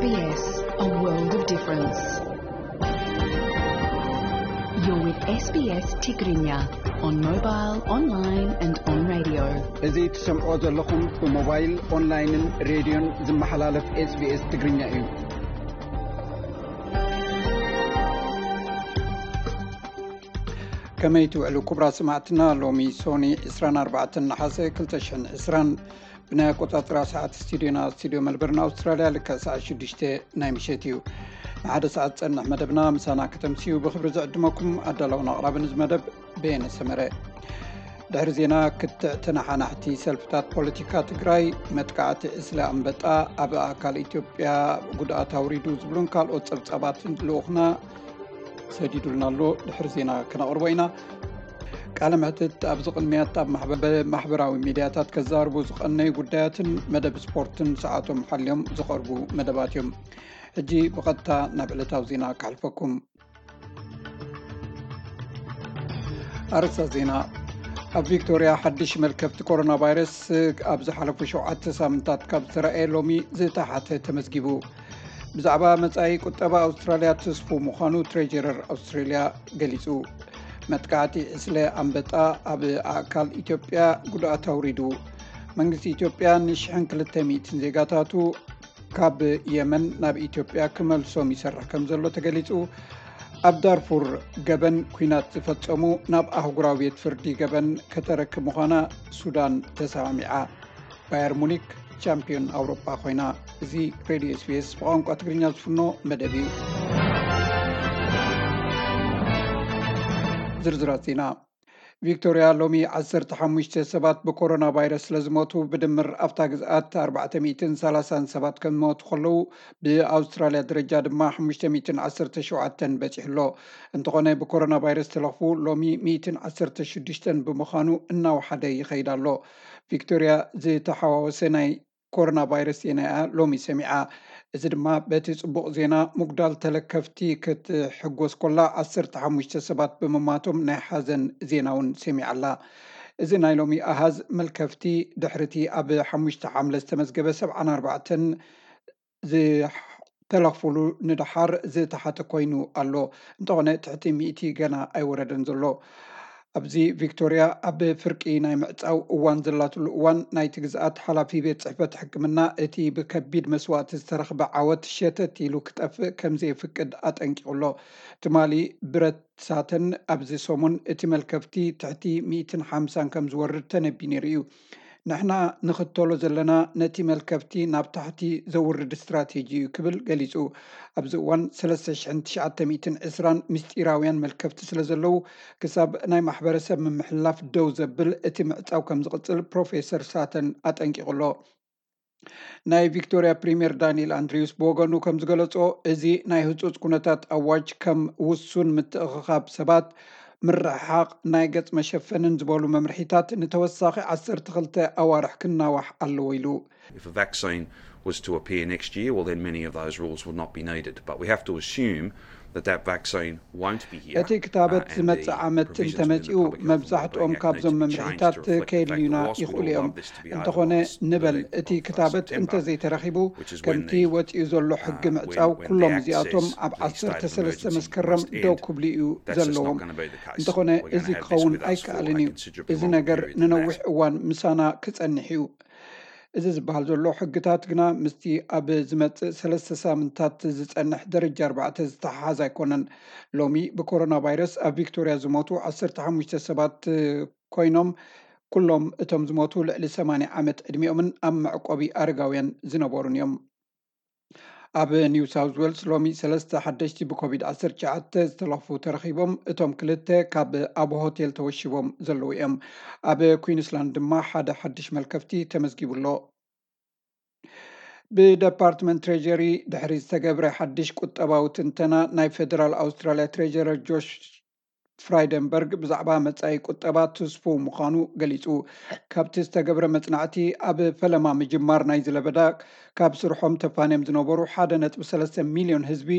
S B S, a world of difference. You're with S B S Tigrinya on mobile, online and on radio. እዚ ትሰምዖ ዘለኹም ብሞባይል፣ ኦንላይንን ሬድዮን ዝመሓላለፍ SBS ትግርኛ እዩ። ከመይ ትውዕሉ ክቡራት ሰማዕትና? ሎሚ ሶኒ ዕስራን ኣርባዕተን ነሓሰ ክልተ ሽሕን ዕስራን፣ ብናይ ኣቆጻጽራ ሰዓት ስቱዲዮና፣ ስቱዲዮ መልበርን ኣውስትራልያ፣ ልክዕ ሰዓት ሽዱሽተ ናይ ምሸት እዩ። ንሓደ ሰዓት ዝጸንሕ መደብና ምሳና ከተምስዩ ብኽብሪ ዝዕድመኩም ኣዳላውን ኣቕራብን እዚ መደብ በየነ ሰመረ። ድሕሪ ዜና፣ ክትዕ ተነሓናሕቲ ሰልፍታት ፖለቲካ ትግራይ፣ መጥቃዕቲ ዕስለ ኣንበጣ ኣብ ኣካል ኢትዮጵያ ጉድኣት ኣውሪዱ ዝብሉን ካልኦት ጸብጻባትን ልኡኽና ሰዲዱልና ኣሎ። ድሕሪ ዜና ክነቕርቦ ኢና። ቃለ መሕትት ኣብዚ ቅድሚያት ኣብ ማሕበ-፣ ማሕበራዊ ሚድያታት ከዛርቡ ዝቐነዩ ጉዳያትን መደብ ስፖርትን ሰዓቶም ሓልዮም ዝቐርቡ መደባት እዮም። ሕጂ ብቐጥታ ናብ ዕለታዊ ዜና ከሕልፈኩም። ኣርእስታት ዜና። ኣብ ቪክቶርያ ሓድሽ መልከፍቲ ኮሮና ቫይረስ ኣብ ዝሓለፉ ሸውዓተ ሳምንታት ካብ ዝተረኣየ ሎሚ ዝተሓተ ተመዝጊቡ። ብዛዕባ መጻኢ ቁጠባ ኣውስትራልያ ትስፉ ምዃኑ ትሬጀረር ኣውስትራልያ ገሊጹ። መጥቃዕቲ ዕስለ ኣንበጣ ኣብ ኣእካል ኢትዮጵያ ጉድኣት ኣውሪዱ። መንግስቲ ኢትዮጵያ ንሽሕን ክልተ ሚእትን ዜጋታቱ ካብ የመን ናብ ኢትዮጵያ ክመልሶም ይሰርሕ ከም ዘሎ ተገሊጹ። ኣብ ዳርፉር ገበን ኲናት ዝፈጸሙ ናብ ኣህጉራዊ ቤት ፍርዲ ገበን ከተረክብ ምዃና ሱዳን ተሰማሚዓ። ባየር ሙኒክ ቻምፒዮን ኣውሮጳ ኮይና። እዚ ሬድዮ SBS ብቋንቋ ትግርኛ ዝፍኖ መደብ እዩ። ዝርዝራት ዜና። ቪክቶርያ ሎሚ ዓሰርተ ሓሙሽተ ሰባት ብኮሮና ቫይረስ ስለ ዝሞቱ፣ ብድምር ኣብታ ግዝኣት ኣርባዕተ ሚእትን ሰላሳን ሰባት ከም ዝሞቱ ከለዉ፣ ብኣውስትራልያ ደረጃ ድማ ሓሙሽተ ሚእትን ዓሰርተ ሸውዓተን በጺሑ ኣሎ። እንተኾነ፣ ብኮሮና ቫይረስ ተለኽፉ ሎሚ ሚእትን ዓሰርተ ሽዱሽተን ብምዃኑ እናወሓደ ይኸይድ ኣሎ። ቪክቶርያ ዝተሓዋወሰ ናይ ኮሮና ቫይረስ ዜና እያ ሎሚ ሰሚዓ። እዚ ድማ በቲ ጽቡቕ ዜና ምጉዳል ተለከፍቲ ክትሕጎስ ኮላ፣ ዓሰርተ ሓሙሽተ ሰባት ብምማቶም ናይ ሓዘን ዜና እውን ሰሚዓ ኣላ። እዚ ናይ ሎሚ ኣሃዝ መልከፍቲ ድሕሪቲ ኣብ ሓሙሽተ ሓምለ ዝተመዝገበ ሰብዓን ኣርባዕተን ዝተለኽፍሉ ንደሓር ዝተሓተ ኮይኑ ኣሎ። እንተኾነ ትሕቲ ሚእቲ ገና ኣይወረደን ዘሎ። ኣብዚ ቪክቶርያ ኣብ ፍርቂ ናይ ምዕጻው እዋን ዘላትሉ እዋን፣ ናይቲ ግዝኣት ሓላፊ ቤት ጽሕፈት ሕክምና እቲ ብከቢድ መስዋእቲ ዝተረኽበ ዓወት ሸተት ኢሉ ክጠፍእ ከም ዘየፍቅድ ኣጠንቂቑ ኣሎ። ትማሊ ብረት ሳተን ኣብዚ ሰሙን እቲ መልከፍቲ ትሕቲ ሚእትን ሓምሳን ከም ዝወርድ ተነቢዩ ነይሩ እዩ። ንሕና ንኽተሎ ዘለና ነቲ መልከፍቲ ናብ ታሕቲ ዘውርድ ስትራቴጂ እዩ ክብል ገሊጹ። ኣብዚ እዋን ሰለስተ ሽሕን ትሽዓተ ሚእትን ዕስራን ምስጢራውያን መልከፍቲ ስለ ዘለዉ፣ ክሳብ ናይ ማሕበረሰብ ምምሕልላፍ ደው ዘብል እቲ ምዕጻው ከም ዝቕጽል ፕሮፌሰር ሳተን ኣጠንቂቑ ኣሎ። ናይ ቪክቶርያ ፕሪምየር ዳንኤል ኣንድሪውስ ብወገኑ ከም ዝገለጾ፣ እዚ ናይ ህጹጽ ኩነታት ኣዋጅ ከም ውሱን ምትእኽኻብ ሰባት፣ ምርሕሓቕ፣ ናይ ገጽ መሸፈንን ዝበሉ መምርሒታት ንተወሳኺ ዓሰርተ ክልተ ኣዋርሕ ክናዋሕ ኣለዎ ኢሉ። If a vaccine was to appear next year, well, then many of those rules would not be needed. But we have to assume that that vaccine won't be here. እቲ ክታበት ዝመጽእ ዓመት እንተመጺኡ፣ መብዛሕትኦም ካብዞም መምርሒታት ከየድልዩና ይኽእሉ እዮም። እንተኾነ፣ ንበል እቲ ክታበት እንተዘይተረኺቡ፣ ከምቲ ወጺኡ ዘሎ ሕጊ ምዕጻው፣ ኩሎም እዚኣቶም ኣብ ዓሰርተ ሰለስተ መስከረም ደው ክብሉ እዩ ዘለዎም። እንተኾነ፣ እዚ ክኸውን ኣይከኣልን እዩ። እዚ ነገር ንነዊሕ እዋን ምሳና ክጸንሕ እዩ። እዚ ዝበሃል ዘሎ ሕግታት ግና ምስቲ ኣብ ዝመጽእ ሰለስተ ሳምንታት ዝጸንሕ ደረጃ ኣርባዕተ ዝተሓሓዝ ኣይኮነን። ሎሚ ብኮሮና ቫይረስ ኣብ ቪክቶርያ ዝሞቱ ዓሰርተ ሓሙሽተ ሰባት ኮይኖም፣ ኩሎም እቶም ዝሞቱ ልዕሊ ሰማንያ ዓመት ዕድሚኦምን ኣብ መዕቆቢ ኣረጋውያን ዝነበሩን እዮም። ኣብ ኒው ሳውዝ ዌልስ ሎሚ ሰለስተ ሓደሽቲ ብኮቪድ ዓሰርተ ትሽዓተ ዝተለኽፉ ተረኺቦም፣ እቶም ክልተ ካብ ኣብ ሆቴል ተወሺቦም ዘለዉ እዮም። ኣብ ኩዊንስላንድ ድማ ሓደ ሓድሽ መልከፍቲ ተመዝጊቡ ኣሎ። ብደፓርትመንት ትሬጀሪ ድሕሪ ዝተገብረ ሓድሽ ቁጠባዊ ትንተና፣ ናይ ፌደራል ኣውስትራልያ ትሬጀረር ጆሽ ፍራይደንበርግ ብዛዕባ መጻኢ ቁጠባ ትስፉው ምዃኑ ገሊጹ። ካብቲ ዝተገብረ መጽናዕቲ፣ ኣብ ፈለማ ምጅማር ናይ ዝለበዳ ካብ ስርሖም ተፋንዮም ዝነበሩ ሓደ ነጥቢ ሰለስተ ሚልዮን ህዝቢ፣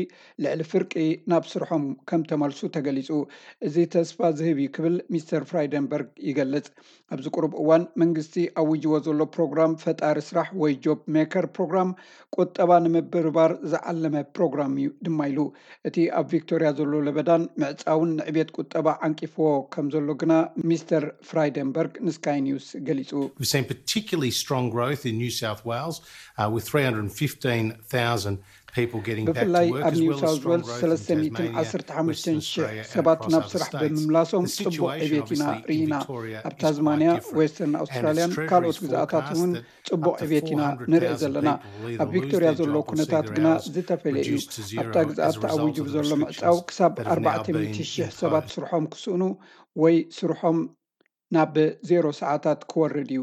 ልዕሊ ፍርቂ ናብ ስርሖም ከም ተመልሱ ተገሊጹ። እዚ ተስፋ ዝህብ እዩ ክብል ሚስተር ፍራይደንበርግ ይገልጽ። ኣብዚ ቁሩብ እዋን መንግስቲ ኣዊጅዎ ዘሎ ፕሮግራም ፈጣሪ ስራሕ ወይ ጆብ ሜከር ፕሮግራም ቁጠባ ንምብርባር ዝዓለመ ፕሮግራም እዩ ድማ ኢሉ። እቲ ኣብ ቪክቶርያ ዘሎ ለበዳን ምዕጻውን ንዕቤት ቁጠባ ዓንቂፍዎ ከም ዘሎ ግና ሚስተር ፍራይደንበርግ ንስካይ ኒውስ ገሊጹ። We've seen particularly strong growth in New South Wales, uh, with three hundred fifteen thousand people getting back to ብፍላይ work, ኣብ as ኒው well as ሳውዝ strong ዌልስ growth in Tasmania, ሰለስተ ሚእትን ዓሰርተ ሓሙሽተን Western ሺሕ Australia, and ሰባት across ናብ other ስራሕ states. ብምምላሶም The ጽቡቕ situation, ዕቤት ኢና obviously, in ርኢና። Victoria ኣብ is ታዝማንያ፣ quite different. ዌስተርን And ኣውስትራልያን Australia's ካልኦት ግዝኣታት forecast እውን that ጽቡቕ up to ዕቤት ኢና four hundred ንርኢ thousand ዘለና። people will either ኣብ ቪክቶርያ lose their ዘሎ job or see ኩነታት their ግና hours ዝተፈለየ እዩ። reduced to zero ኣብታ as a ግዝኣት result ተኣዊጁ of ብዘሎ restrictions ምዕጻው that ክሳብ have now been ኣርባዕተ ሚእቲ ሺሕ imposed. ሰባት ስርሖም ክስእኑ ወይ ስርሖም ናብ ዜሮ ሰዓታት ክወርድ እዩ።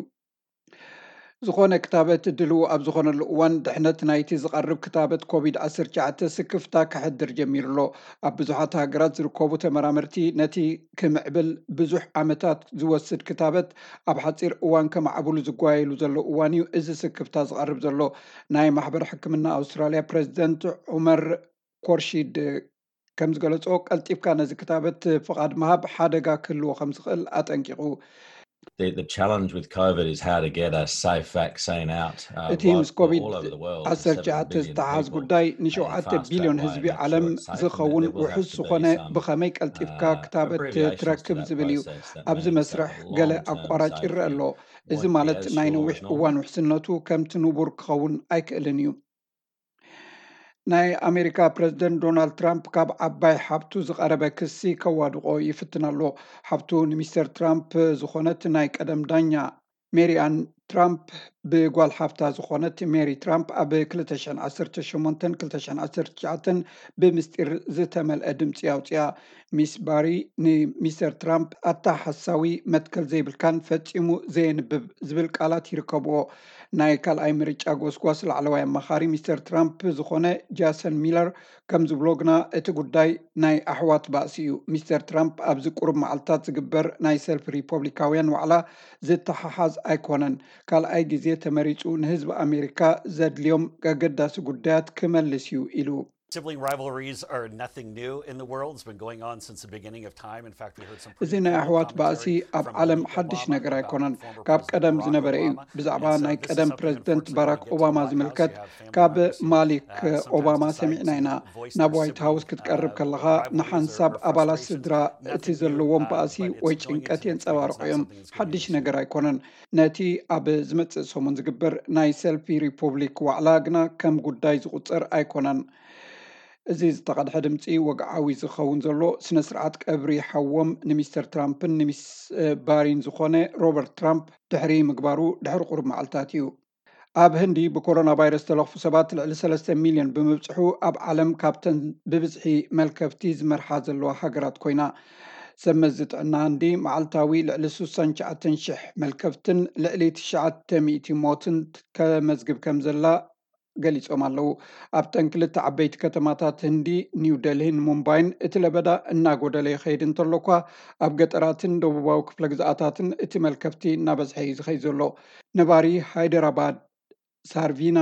ዝኾነ ክታበት ድልው ኣብ ዝኾነሉ እዋን፣ ድሕነት ናይቲ ዝቐርብ ክታበት ኮቪድ ዓሰርተ ትሽዓተ ስክፍታ ከሕድር ጀሚሩ ኣሎ። ኣብ ብዙሓት ሃገራት ዝርከቡ ተመራመርቲ፣ ነቲ ክምዕብል ብዙሕ ዓመታት ዝወስድ ክታበት ኣብ ሓጺር እዋን ከማዕብሉ ዝጓየሉ ዘለዉ እዋን እዩ እዚ ስክፍታ ዝቐርብ ዘሎ። ናይ ማሕበር ሕክምና ኣውስትራልያ ፕረዚደንት ዑመር ኮርሺድ ከም ዝገለጾ፣ ቀልጢፍካ ነዚ ክታበት ፍቓድ ምሃብ ሓደጋ ክህልዎ ከም ዝኽእል ኣጠንቂቑ። The, the challenge with COVID is how to get a safe vaccine out. Uh, እቲ right, ምስ ኮቪድ all over the world, ዓሰርተ ትሽዓተ seven billion ዝተሓዝ people, ጉዳይ and ንሸውዓተ fast track ቢልዮን way ህዝቢ make sure ዓለም it's safe, and ዝኸውን there will have ውሑስ to be ዝኾነ some, ብኸመይ ቀልጢፍካ uh, ክታበት abbreviations to ትረክብ that ዝብል እዩ። process. That ኣብዚ means መስርሕ that the ገለ long-term ኣቋራጭ ይረአ safety ኣሎ። እዚ won't be ማለት as ናይ strong ነዊሕ as normal. እዋን ውሕስነቱ ከምቲ ንቡር ክኸውን ኣይክእልን እዩ። ናይ ኣሜሪካ ፕረዚደንት ዶናልድ ትራምፕ ካብ ዓባይ ሓብቱ ዝቐረበ ክሲ ከዋድቖ ይፍትን ኣሎ። ሓብቱ ንሚስተር ትራምፕ ዝኾነት ናይ ቀደም ዳኛ ሜሪኣን ትራምፕ ብጓል ሓፍታ ዝኾነት ሜሪ ትራምፕ ኣብ ክልተ ሽሕን ዓሰርተ ሸሞንተን ክልተ ሽሕን ዓሰርተ ትሽዓተን ብምስጢር ዝተመልአ ድምፂ ኣውፅያ። ሚስ ባሪ ንሚስተር ትራምፕ ኣታ ሓሳዊ መትከል ዘይብልካን ፈጺሙ ዘየንብብ ዝብል ቃላት ይርከብዎ። ናይ ካልኣይ ምርጫ ጎስጓስ ላዕለዋይ ኣማኻሪ ሚስተር ትራምፕ ዝኾነ ጃሰን ሚለር ከም ዝብሎ ግና እቲ ጉዳይ ናይ ኣሕዋት ባእሲ እዩ። ሚስተር ትራምፕ ኣብዚ ቁሩብ መዓልታት ዝግበር ናይ ሰልፊ ሪፖብሊካውያን ዋዕላ ዝተሓሓዝ ኣይኮነን። ካልኣይ ግዜ ተመሪጹ ንህዝቢ ኣሜሪካ ዘድልዮም ኣገዳሲ ጉዳያት ክመልስ እዩ ኢሉ። Sibling rivalries are nothing new in the world. It's been going on since the beginning of time. In fact, we heard some እዚ ናይ ኣሕዋት ባእሲ ኣብ ዓለም ሓድሽ ነገር ኣይኮነን፣ ካብ ቀደም ዝነበረ እዩ። ብዛዕባ ናይ ቀደም ፕረዚደንት ባራክ ኦባማ ዝምልከት ካብ ማሊክ ኦባማ ሰሚዕና ኢና። ናብ ዋይት ሃውስ ክትቀርብ ከለኻ ንሓንሳብ ኣባላት ስድራ እቲ ዘለዎም ባእሲ ወይ ጭንቀት የንጸባርቑ እዮም። ሓድሽ ነገር ኣይኮነን። ነቲ ኣብ ዝመጽእ ሰሙን ዝግበር ናይ ሰልፊ ሪፖብሊክ ዋዕላ ግና ከም ጉዳይ ዝቑጸር ኣይኮነን። እዚ ዝተቐድሐ ድምፂ ወግዓዊ ዝኸውን ዘሎ ስነ ስርዓት ቀብሪ ሓዎም ንሚስተር ትራምፕን ንሚስ ባሪን ዝኾነ ሮበርት ትራምፕ ድሕሪ ምግባሩ ድሕሪ ቁሩብ መዓልታት እዩ። ኣብ ህንዲ ብኮሮና ቫይረስ ተለኽፉ ሰባት ልዕሊ ሰለስተ ሚልዮን ብምብፅሑ ኣብ ዓለም ካብተን ብብዝሒ መልከፍቲ ዝመርሓ ዘለዋ ሃገራት ኮይና። ሰብ መዚ ጥዕና ህንዲ መዓልታዊ ልዕሊ ስሳን ትሽዓተን ሽሕ መልከፍትን ልዕሊ ትሽዓተ ሚእቲ ሞትን ከመዝግብ ከም ዘላ ገሊጾም ኣለዉ። ኣብተን ክልተ ዓበይቲ ከተማታት ህንዲ ኒው ደልሂን ሙምባይን እቲ ለበዳ እናጎደለ ይኸይድ እንተሎ እኳ፣ ኣብ ገጠራትን ደቡባዊ ክፍለ ግዝኣታትን እቲ መልከፍቲ እናበዝሐ እዩ ዝኸይድ ዘሎ። ነባሪ ሃይደራባድ ሳርቪና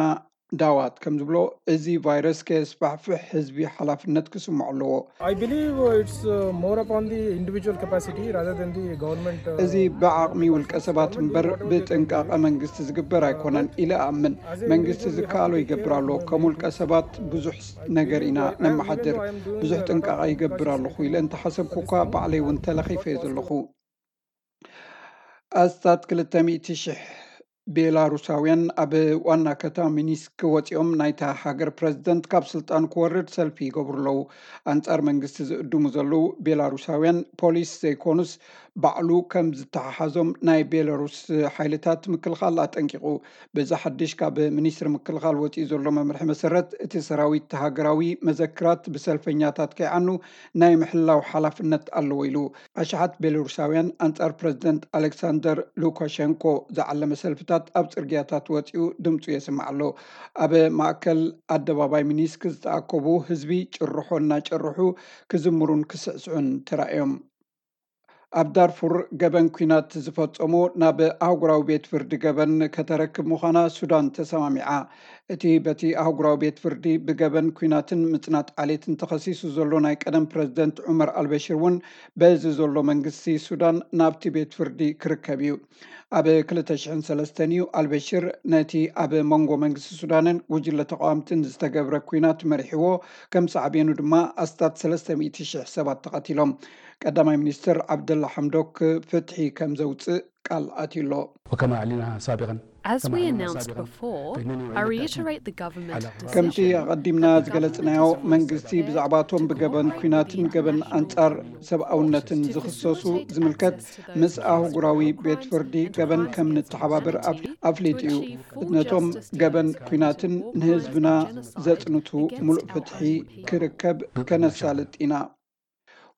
ዳዋት ከም ዝብሎ፣ እዚ ቫይረስ ከየስፋሕፍሕ ህዝቢ ሓላፍነት ክስምዖ ኣለዎ። I believe it's uh, more upon the individual capacity rather than the government. Uh, እዚ ብዓቕሚ ውልቀ ሰባት እምበር ብጥንቃቐ መንግስቲ ዝግበር ኣይኮነን ኢለ እኣምን። መንግስቲ ዝከኣሎ ይገብር ኣሎ። ከም ውልቀ ሰባት ብዙሕ ነገር ኢና ነመሓድር። ብዙሕ ጥንቃቐ ይገብር ኣለኹ ኢለ እንተሓሰብኩ እኳ ባዕለይ እውን ተለኺፈ እየ ዘለኹ። ኣስታት ክልተ ሚእቲ ሽሕ ቤላሩሳውያን ኣብ ዋና ከተማ ሚኒስክ ወፂኦም ናይታ ሃገር ፕረዚደንት ካብ ስልጣን ክወርድ ሰልፊ ይገብሩ ኣለዉ። ኣንጻር መንግስቲ ዝእድሙ ዘለዉ ቤላሩሳውያን ፖሊስ ዘይኮኑስ ባዕሉ ከም ዝተሓሓዞም ናይ ቤላሩስ ሓይልታት ምክልኻል ኣጠንቂቑ። በዚ ሓድሽ ካብ ሚኒስትሪ ምክልኻል ወፂኡ ዘሎ መምርሒ መሰረት፣ እቲ ሰራዊት ሃገራዊ መዘክራት ብሰልፈኛታት ከይዓኑ ናይ ምሕላው ሓላፍነት ኣለዎ ኢሉ። ኣሽሓት ቤላሩሳውያን ኣንጻር ፕረዚደንት ኣሌክሳንደር ሉካሸንኮ ዝዓለመ ሰልፍታት ኣብ ጽርግያታት ወጺኡ ድምጹ የስምዕ ኣሎ። ኣብ ማእከል ኣደባባይ ሚኒስክ ዝተኣከቡ ህዝቢ ጭርሖ እናጨርሑ ክዝምሩን ክስዕስዑን ተራእዮም። ኣብ ዳርፉር ገበን ኲናት ዝፈጸሙ ናብ ኣህጉራዊ ቤት ፍርዲ ገበን ከተረክብ ምዃና ሱዳን ተሰማሚዓ። እቲ በቲ ኣህጉራዊ ቤት ፍርዲ ብገበን ኲናትን ምጽናት ዓሌትን ተኸሲሱ ዘሎ ናይ ቀደም ፕረዚደንት ዑመር ኣልበሽር እውን በዚ ዘሎ መንግስቲ ሱዳን ናብቲ ቤት ፍርዲ ክርከብ እዩ። ኣብ ክልተ ሽሕን ሰለስተን እዩ ኣልበሽር ነቲ ኣብ መንጎ መንግስቲ ሱዳንን ጉጅለ ተቃወምትን ዝተገብረ ኲናት መሪሕዎ። ከም ሳዕቤኑ ድማ ኣስታት ሰለስተ ሚእቲ ሽሕ ሰባት ተቐቲሎም። ቀዳማይ ሚኒስትር ዓብደላ ሓምዶክ ፍትሒ ከም ዘውፅእ ቃል ኣትዩ ኣሎ። وكما أعلنا سابقا As كما we أعلنا announced سابقا before, فإنني I أعيد reiterate التأكيد the government على ከምቲ decision ኣቐዲምና that the ዝገለጽናዮ government is መንግስቲ prepared ብዛዕባቶም to ብገበን cooperate ኲናትን with ገበን international ኣንጻር courts ሰብኣውነትን to ዝኽሰሱ facilitate ዝምልከት access to those ምስ who ኣህጉራዊ support ቤት crimes ፍርዲ and ገበን crimes ከም and ንተሓባበር criminality, ኣፍሊጡ እዩ። to achieve full ነቶም justice to ገበን those ኲናትን committed to ንህዝብና war crimes and genocide ዘጽንቱ against ሙሉእ our ፍትሒ own people. ክርከብ ከነሳልጥ ኢና።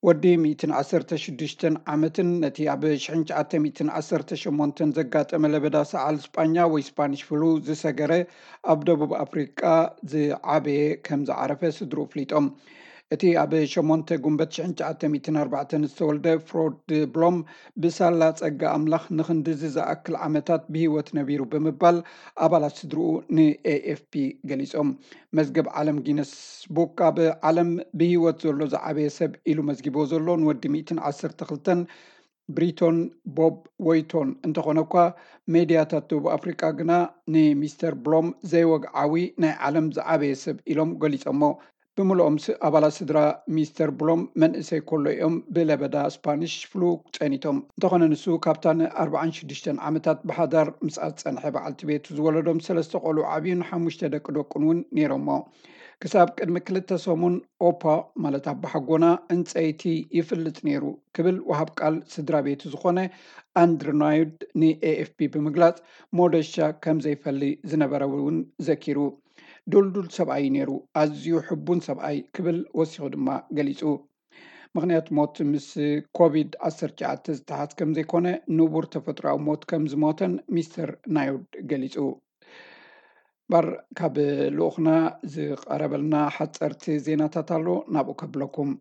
ወዲ ሚእትን ዓሰርተ ሽዱሽተን ዓመትን ነቲ ኣብ ሽሕን ትሽዓተ ሚእትን ዓሰርተ ሸሞንተን ዘጋጠመ ለበዳ ሰዓል ስጳኛ ወይ ስፓኒሽ ፍሉ ዝሰገረ ኣብ ደቡብ ኣፍሪቃ ዝዓበየ ከም ዝዓረፈ ስድሩ ኣፍሊጦም። እቲ ኣብ ሸሞንተ ጉንበት ሽሕን ትሽዓተ ሚእትን ኣርባዕተን ዝተወልደ ፍሮድ ብሎም ብሳላ ጸጋ ኣምላኽ ንኽንድዚ ዝኣክል ዓመታት ብህይወት ነቢሩ ብምባል ኣባላት ስድርኡ ንኤኤፍፒ ገሊጾም። መዝገብ ዓለም ጊነስ ቡክ ኣብ ዓለም ብህይወት ዘሎ ዝዓበየ ሰብ ኢሉ መዝጊቦ ዘሎ ንወዲ ሚእትን ዓሰርተ ክልተን ብሪቶን ቦብ ወይቶን እንተኾነ እኳ፣ ሜድያታት ደቡብ ኣፍሪቃ ግና ንሚስተር ብሎም ዘይወግዓዊ ናይ ዓለም ዝዓበየ ሰብ ኢሎም ገሊጾሞ። ብምልኦም ስ- ኣባላት ስድራ ሚስተር ብሎም መንእሰይ ከሎ እዮም ብለበዳ ስፓኒሽ ፍሉ ጸኒቶም። እንተኾነ ንሱ ካብታ ንኣርባዓን ሽዱሽተን ዓመታት ብሓዳር ምስኣ ዝጸንሐ በዓልቲ ቤቱ ዝወለዶም ሰለስተ ቆልዑ ዓብዩን ሓሙሽተ ደቂ ደቁን እውን ነይሮሞ። ክሳብ ቅድሚ ክልተ ሰሙን ኦፓ ማለት ኣባሓጎና ዕንጸይቲ ይፍልጥ ነይሩ ክብል ወሃብ ቃል ስድራ ቤቱ ዝኾነ ኣንድርናዩድ ንኤኤፍፒ ብምግላጽ ሞደሻ ከም ዘይፈሊ ዝነበረ እውን ዘኪሩ። ዱልዱል ሰብኣይ ነይሩ፣ ኣዝዩ ሕቡን ሰብኣይ ክብል ወሲኹ ድማ ገሊጹ። ምኽንያት ሞት ምስ ኮቪድ ዓሰርተ ትሽዓተ ዝተሓዝ ከም ዘይኮነ ንቡር ተፈጥሮኣዊ ሞት ከም ዝሞተን ሚስተር ናዩድ ገሊጹ። ባር ካብ ልኡኽና ዝቐረበልና ሓፀርቲ ዜናታት ኣሎ፣ ናብኡ ከብለኩም።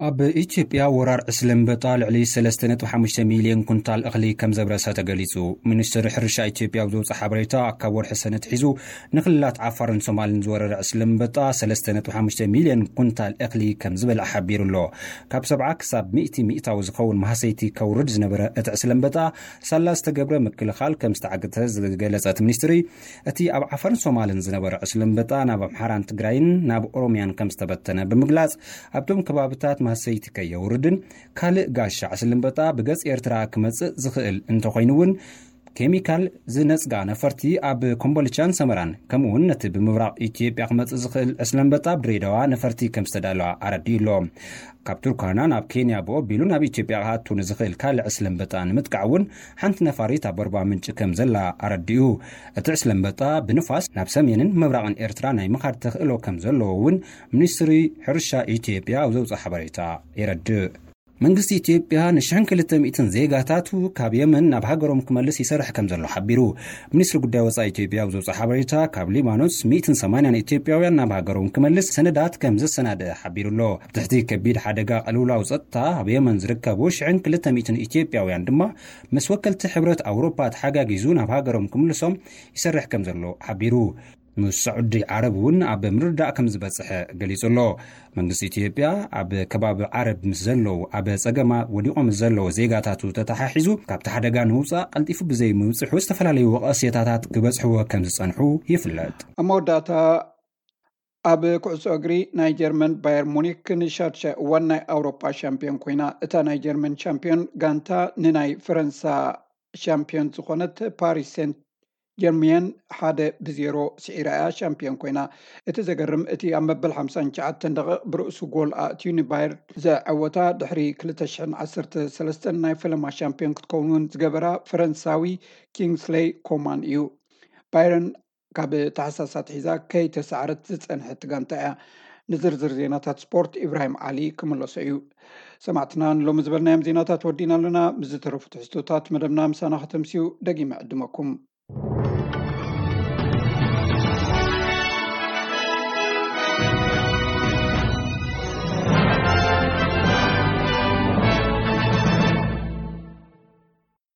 ኣብ ኢትዮጵያ ወራር ዕስለ ኣንበጣ ልዕሊ ሰለስተ ነጥቢ ሓሙሽተ ሚልዮን ኩንታል እኽሊ ከም ዘብረሰ ተገሊጹ። ሚኒስትሪ ሕርሻ ኢትዮጵያ ኣብ ዘውፅእ ሓበሬታ፣ ካብ ወርሒ ሰነ ኣትሒዙ ንክልላት ዓፋርን ሶማልን ዝወረረ ዕስለ ኣንበጣ ሰለስተ ነጥቢ ሓሙሽተ ሚልዮን ኩንታል እኽሊ ከም ዝበልዐ ሓቢሩ ኣሎ። ካብ ሰብዓ ክሳብ ሚእቲ ሚእታዊ ዝኸውን ማህሰይቲ ከውርድ ዝነበረ እቲ ዕስለ ኣንበጣ ሳላ ዝተገብረ ምክልኻል ከም ዝተዓገተ ዝገለጸ እቲ ሚኒስትሪ፣ እቲ ኣብ ዓፋርን ሶማልን ዝነበረ ዕስለ ኣንበጣ ናብ ኣምሓራን ትግራይን ናብ ኦሮሚያን ከም ዝተበተነ ብምግላጽ፣ ኣብቶም ከባብታት ማህሰይቲ ከየውርድን ካልእ ጋሻ ዕስለ ኣንበጣ ብገጽ ኤርትራ ክመጽእ ዝኽእል እንተኾይኑ እውን ኬሚካል ዝነጽጋ ነፈርቲ ኣብ ኮምቦልቻን ሰመራን፣ ከምኡ እውን ነቲ ብምብራቕ ኢትዮጵያ ክመጽእ ዝኽእል ዕስለ ኣንበጣ ኣብ ድሬዳዋ ነፈርቲ ከም ዝተዳለዋ ኣረዲኡ ኣሎ። ካብ ቱርካና ናብ ኬንያ ብኦቢሉ ናብ ኢትዮጵያ ክኣቱ ንዝኽእል ካልእ ዕስለ ኣንበጣ ንምጥቃዕ እውን ሓንቲ ነፋሪት ኣብ ኣርባ ምንጭ ከም ዘላ ኣረዲኡ። እቲ ዕስለ ኣንበጣ ብንፋስ ናብ ሰሜንን ምብራቕን ኤርትራ ናይ ምኻድ ተኽእሎ ከም ዘለዎ እውን ሚኒስትሪ ሕርሻ ኢትዮጵያ ኣብ ዘውፅኦ ሓበሬታ የረድእ። መንግስቲ ኢትዮጵያ ንሽሕን ክልተ ሚእትን ዜጋታቱ ካብ የመን ናብ ሃገሮም ክመልስ ይሰርሕ ከም ዘሎ ሓቢሩ። ሚኒስትሪ ጉዳይ ወጻኢ ኢትዮጵያ ኣብ ዘውፅኦ ሓበሬታ፣ ካብ ሊባኖስ ሚእትን ሰማንያን ኢትዮጵያውያን ናብ ሃገሮም ክመልስ ሰነዳት ከም ዘሰናደአ ሓቢሩ ኣሎ። ኣብ ትሕቲ ከቢድ ሓደጋ ቅልውላው ጸጥታ ኣብ የመን ዝርከቡ ሽሕን ክልተ ሚእትን ኢትዮጵያውያን ድማ ምስ ወከልቲ ሕብረት ኣውሮፓ ተሓጋጊዙ ናብ ሃገሮም ክምልሶም ይሰርሕ ከም ዘሎ ሓቢሩ። ምስ ሳዑዲ ዓረብ እውን ኣብ ምርዳእ ከም ዝበጽሐ ገሊጹ ኣሎ። መንግስቲ ኢትዮጵያ ኣብ ከባቢ ዓረብ ምስ ዘለዉ ኣብ ጸገማ ወዲቖም ምስ ዘለዉ ዜጋታቱ ተተሓሒዙ ካብቲ ሓደጋ ንምውጻእ ቀልጢፉ ብዘይምብጽሑ ዝተፈላለዩ ወቐሴታታት ክበጽሕዎ ከም ዝጸንሑ ይፍለጥ። ኣብ መወዳእታ ኣብ ኩዕሶ እግሪ ናይ ጀርመን ባየር ሙኒክ ንሻድሻይ እዋን ናይ ኣውሮፓ ሻምፒዮን ኮይና። እታ ናይ ጀርመን ሻምፒዮን ጋንታ ንናይ ፈረንሳ ሻምፒዮን ዝኾነት ፓሪስ ሴንት ጀርሚየን ሓደ ብዜሮ ስዒራ እያ ሻምፒዮን ኮይና። እቲ ዘገርም እቲ ኣብ መበል ሓምሳን ትሽዓተን ደቂቕ ብርእሱ ጎል ኣእትዩ ንባየር ዘዐወታ ድሕሪ ክልተ ሽሕን ዓሰርተ ሰለስተን ናይ ፈለማ ሻምፒዮን ክትከውን እውን ዝገበራ ፈረንሳዊ ኪንግስሌይ ኮማን እዩ። ባየርን ካብ ታሕሳስ ኣትሒዛ ከይተሳዕረት ዝጸንሐት ጋንታ እያ። ንዝርዝር ዜናታት ስፖርት ኢብራሂም ዓሊ ክምለሶ እዩ። ሰማዕትና ንሎሚ ዝበልናዮም ዜናታት ወዲና ኣለና። ምስ ዝተረፉ ትሕዝቶታት መደብና ምሳና ከተምስዩ ደጊመ ዕድመኩም።